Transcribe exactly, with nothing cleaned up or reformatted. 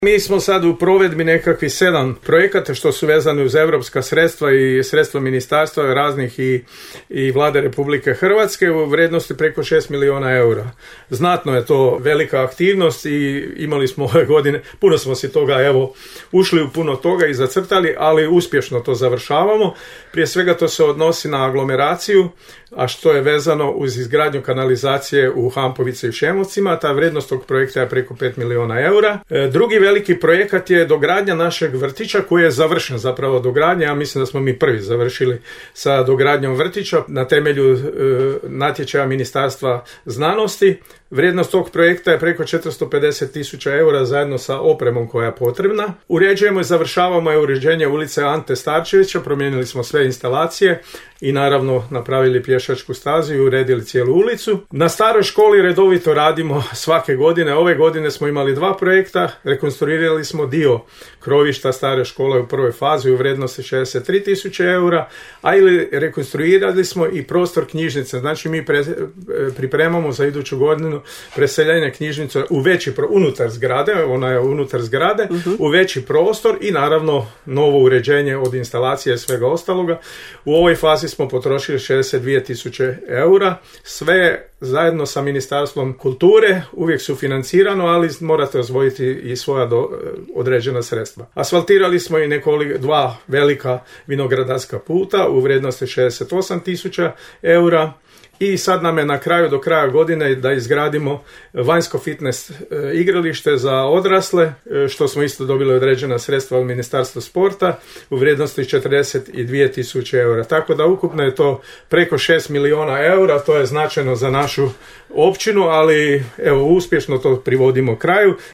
Mi smo sad u provedbi nekakvih sedam projekata što su vezani uz europska sredstva i sredstva ministarstva raznih i, i vlade Republike Hrvatske u vrijednosti preko šest milijuna eura. Znatno je to velika aktivnost i imali smo ove godine, puno smo si toga, evo, ušli u puno toga i zacrtali, ali uspješno to završavamo. Prije svega to se odnosi na aglomeraciju, a što je vezano uz izgradnju kanalizacije u Hampovici i Šemovcima. Ta vrijednost tog projekta je preko pet milijuna eura. Drugi veliki projekat je dogradnja našeg vrtića koji je završen zapravo dogradnja. Ja mislim da smo mi prvi završili sa dogradnjom vrtića na temelju e, natječaja Ministarstva znanosti. Vrijednost tog projekta je preko četiristo pedeset tisuća eura zajedno sa opremom koja je potrebna. Uređujemo i završavamo je uređenje ulice Ante Starčevića, promijenili smo sve instalacije i naravno napravili pješačku stazu i uredili cijelu ulicu. Na staroj školi redovito radimo svake godine. Ove godine smo imali dva projekta, rekonstruirali smo dio krovišta stare škole u prvoj fazi u vrijednosti šezdeset tri tisuće eura, a ili rekonstruirali smo i prostor knjižnice. Znači mi pre, pripremamo za iduću godinu preseljenje knjižnice u veći pro, unutar zgrade, ona je unutar zgrade, uh-huh. u veći prostor i naravno novo uređenje od instalacije i svega ostaloga. U ovoj fazi smo potrošili šezdeset dvije tisuće eura, sve zajedno sa Ministarstvom kulture, uvijek su financirano, ali morate osvojiti i svoja do, određena sredstva. Asfaltirali smo i nekoliko, dva velika vinogradarska puta u vrijednosti šezdeset osam tisuća eura. I sad nam je na kraju, do kraja godine, da izgradimo vanjsko fitness e, igralište za odrasle, e, što smo isto dobili određena sredstva od Ministarstva sporta u vrijednosti četrdeset dvije tisuće eura. Tako da ukupno je to preko šest milijuna eura, to je značajno za našu općinu, ali evo uspješno to privodimo kraju.